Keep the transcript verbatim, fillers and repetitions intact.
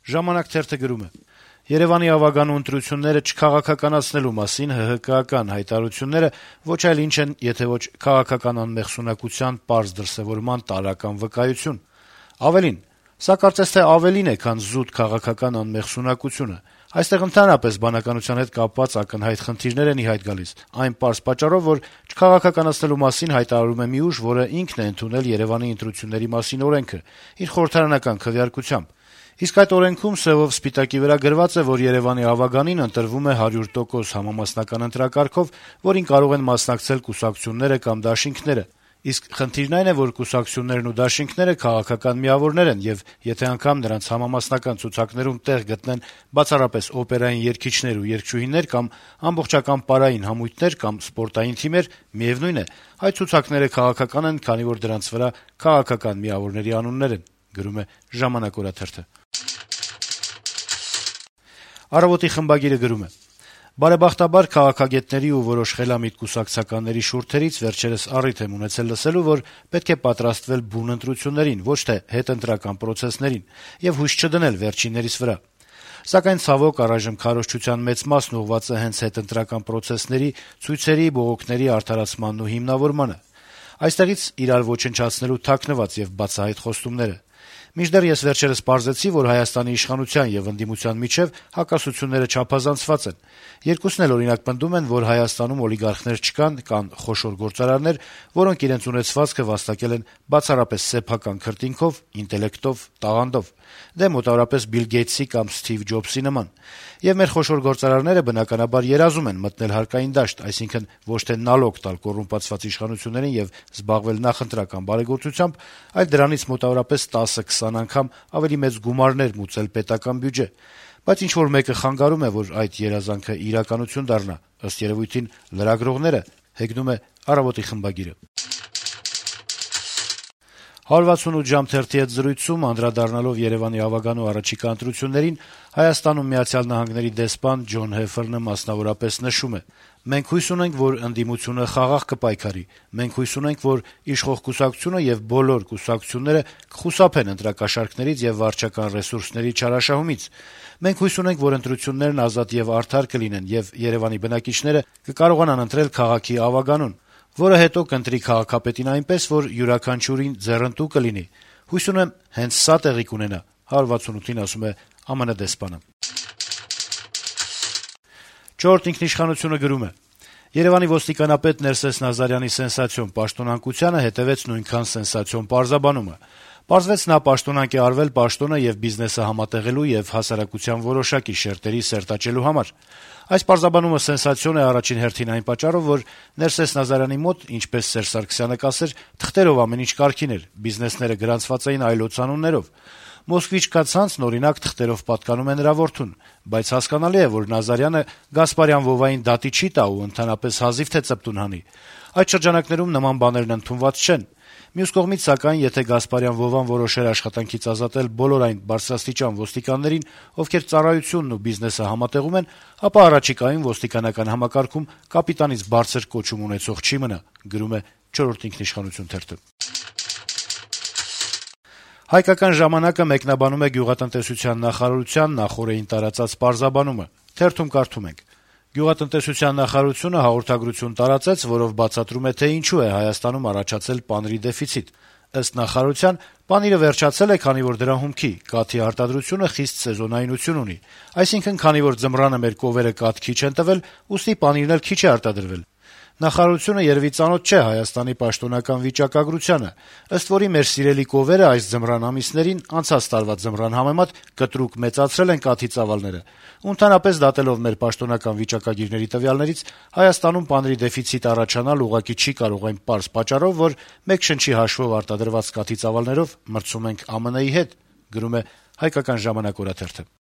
«Ժամանակ» թերթը գրում է. - Երեւանի ավագանու ընտրությունները չքաղաքականացնելու մասին ՀՀԿ-ական հայտարարությունները ոչ այլ ինչ են, եթե ոչ քաղաքական անմեղսունակության պարզ դրսեւորման տարրական վկայություն: Ավելին, սա կարծես թե ավելին է, քան զուտ քաղաքական անմեղսունակությունը: Այստեղ ընդհանրապես բանականության հետ կապված ակնհայտ խնդիրներ են ի հայտ գալիս, այն պարզ պատճառով, որ չքաղաքականացնելու մասին հայտարարում է մի ուժ, որը ինքն է ընդունել Երեւանի ընտրությունների մասին օրենքը` իր խորհրդարանական քվեարկությամբ: Իսկ այդ օրենքում սեւով սպիտակի վրա գրված է, որ Երեւանի ավագանին ընտրվում է հարյուր տոկոս համամասնական ընտրակարգով, որին կարող են մասնակցել կուսակցությունները կամ դաշինքները: Իսկ խնդիրն այն է, որ կուսակցություններն ու դաշինքները քաղաքական միավորներ են, եւ եթե անգամ նրանց համամասնական ցուցակներում տեղ գտնեն բացառապես օպերային երգիչներ ու երգչուհիներ կամ ամբողջական պարային համույթներ կամ սպորտային թիմեր, միեւնույն է, այդ ցուցակները քաղաքական են, քանի որ դրանց վրա քաղաքական միավորների անուններ են: «Առավոտ»-ի խմբագիրը գրում է. - «Բարեբախտաբար քաղաքագետների ու որոշ խելամիտ կուսակցականների շուրթերից վերջերս առիթ եմ ունեցել լսելու, որ պետք է պատրաստվել բուն ընտրություններին, ոչ թե հետընտրական պրոցեսներին, եւ հույս չդնել վերջիններիս վրա: Սակայն, ցավոք, առայժմ քարոզչության մեծ մասն ուղղված է հենց հետընտրական պրոցեսների, ցույցերի, բողոքների արդարացմանն ու հիմնավորմանը: Այստեղից իրար ոչնչացնելու թաքնված եւ բացահայտ խոստումները: Մինչդեռ ես վերջերս պարզեցի, որ Հայաստանի իշխանության եւ ընդդիմության միջեւ հակասությունները չափազանցված են: Երկուսն էլ, օրինակ, պնդում են, որ Հայաստանում օլիգարխներ չկան, կան խոշոր գործարարներ, որոնք իրենց ունեցվածքը վաստակել են բացառապես սեփական քրտինքով, ինտելեկտով, տաղանդով: Դե, մոտավորապես Բիլ Գեյթսի կամ Սթիվ Ջոբսի նման: Եվ մեր խոշոր գործարարները, բնականաբար, երազում են մտնել հարկային դաշտ, այսինքն ոչ թե նալոգ տալ կոռումպացված իշխանություններին եւ զբաղվել նախընտրական բարեգործությամբ, այլ դրանից մոտավորապես տասը-քսան անգամ ավելի մեծ գումարներ մուծել պետական բյուջե: Բայց ինչ-որ մեկը խանգարում է, որ այդ երազանքը իրականություն դառնա: Ըստ երեւույթին, լրագրողները»: «հարյուր վաթսունութ ժամ» թերթի հետ զրույցում, անդրադառնալով Երեւանի ավագանու առաջիկա ընտրություններին, Հայաստանում ԱՄՆ դեսպան Ջոն Հեֆերնը մասնավորապես նշում է. - «Մենք հույս ունենք, որ ընդդիմությունը խաղաղ կպայքարի: Մենք հույս ունենք, որ իշխող կուսակցությունը եւ բոլոր կուսակցությունները կխուսափեն ընտրակաշառքներից եւ վարչական ռեսուրսների չարաշահումից: Մենք հույս ունենք, որ ընտրություններն ազատ եւ արդար կլինեն, եւ Երեւանի բնակիչները կկարողանան ընտրել քաղաքի ավագանուն, որը հետո կընտրի քաղաքապետին այնպես, որ յուրաքանչյուրին ձեռնտու կլինի: Հույս ունեմ, հենց սա տեղի կունենա»: «Չորրորդ ինքնիշխանություն»-ը գրում է. - «Երեւանի ոստիկանապետ Ներսես Նազարյանի սենսացիոն պաշտոնանկությանը հետեւեց նույնքան սենսացիոն պարզաբանումը: Պարզվեց, նա պաշտոնանկ է արվել պաշտոնը եւ բիզնեսը համատեղելու եւ հասարակության որոշակի շերտերի սերտաճելու համար: Այս պարզաբանումը սենսացիոն է առաջին հերթին այն պատճառով, որ Ներսես Նազարյանի մոտ, ինչպես Սերժ Սարգսյանը կասեր, թղթերով ամեն ինչ կարգին էր, բիզնեսները գրանցված էին այլոց անուններով: «Մոսկվիչ»-կա ցանցն, օրինակ, թղթերով պատկանում է նրա որդուն: Բայց հասկանալի է, որ Նազարյանը Գասպարյան-Վովային դատի չի տա ու ընդհանրապես հազիվ թե ծպտուն հանի: Այդ շրջանակներում նման բաներն ընդունված չեն: Մյուս կողմից, սակայն, եթե Գասպարյան-Վովան որոշեր աշխատանքից ազատել բոլոր այն բարձրաստիճան ոստիկաններին, ովքեր ծառայությունն ու բիզնեսը համատեղում են, ապա առաջիկայում ոստիկանական համակարգում կապիտանից բարձր կոչում ունեցող չի մնա»: «Հայկական ժամանակ»-ը մեկնաբանում է գյուղատնտեսության նախարարության նախօրեին տարածած պարզաբանումը. - «Գյուղատնտեսության նախարարությունը հաղորդագրություն տարածեց, որով բացատրում է, թե ինչու է Հայաստանում առաջացել պանիրի դեֆիցիտ: Ըստ նախարարության, պանիրը վերջացել է, քանի որ դրա հումքի` կաթի արտադրությունը խիստ սեզոնայնություն ունի: Այսինքն, քանի որ ձմռանը մեր կովերը կաթ քիչ են տվել, ուստի պանիրն էլ քիչ է արտադրվել: Նախարարությունը երեւի ծանոթ չէ Հայաստանի պաշտոնական վիճակագրությանը, ըստ որի մեր սիրելի կովերը այս ձմռան ամիսներին, անցած տարվա ձմռան համեմատ, կտրուկ մեծացրել են կաթի ծավալները, ու ընդհանրապես, դատելով մեր պաշտոնական վիճակագիրների տվյալներից, Հայաստանում պանիրի դեֆիցիտ առաջանալ ուղղակի չի կարող այն պարզ պատճառով, որ մեկ շնչի հաշվով արտադրված կաթի ծավալներով մրցում ենք Ամն-ի հետ»: